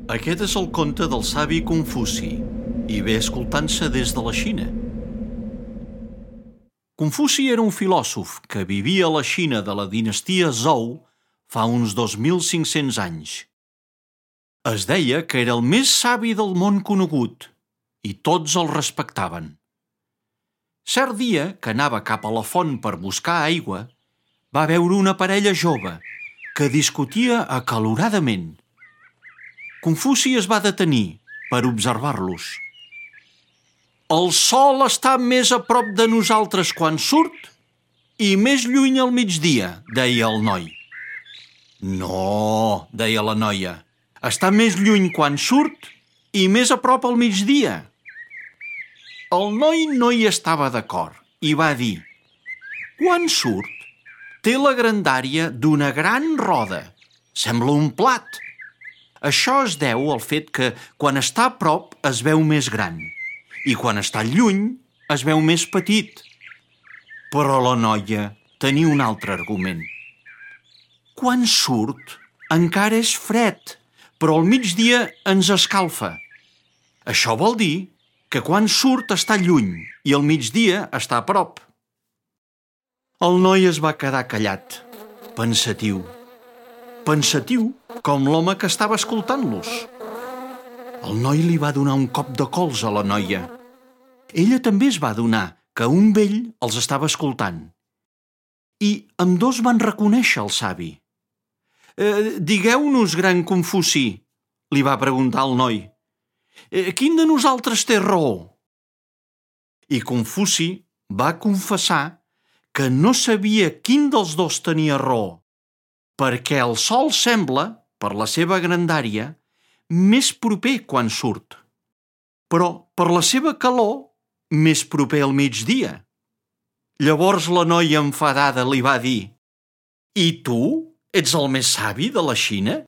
Aquest és el conte del savi Confuci i ve escoltant-se des de la Xina. Confuci era un filòsof que vivia a la Xina de la dinastia Zhou fa uns 2.500 anys. Es deia que era el més savi del món conegut i tots el respectaven. Cert dia, que anava cap a la font per buscar aigua, va veure una parella jove que discutia acaloradament. Confuci es va detenir per observar-los. El sol està més a prop de nosaltres quan surt i més lluny al migdia, deia el noi. No, deia la noia, està més lluny quan surt i més a prop al migdia. El noi no hi estava d'acord i va dir: quan surt, té la grandària d'una gran roda. Sembla un plat. Això es deu al fet que quan està a prop es veu més gran i quan està lluny es veu més petit. Però la noia tenia un altre argument. Quan surt encara és fred, però al migdia ens escalfa. Això vol dir que quan surt està lluny i al migdia està a prop. El noi es va quedar callat, pensatiu com l'home que estava escoltant-los. El noi li va donar un cop de colze a la noia. Ella també es va adonar que un vell els estava escoltant. I ambdós van reconèixer el savi. Digueu-nos, gran Confuci, li va preguntar el noi. Quin de nosaltres té raó? I Confuci va confessar que no sabia quin dels dos tenia raó, perquè el sol sembla, per la seva grandària, més proper quan surt, però per la seva calor, més proper al migdia. Llavors la noia enfadada li va dir: I tu ets el més savi de la Xina?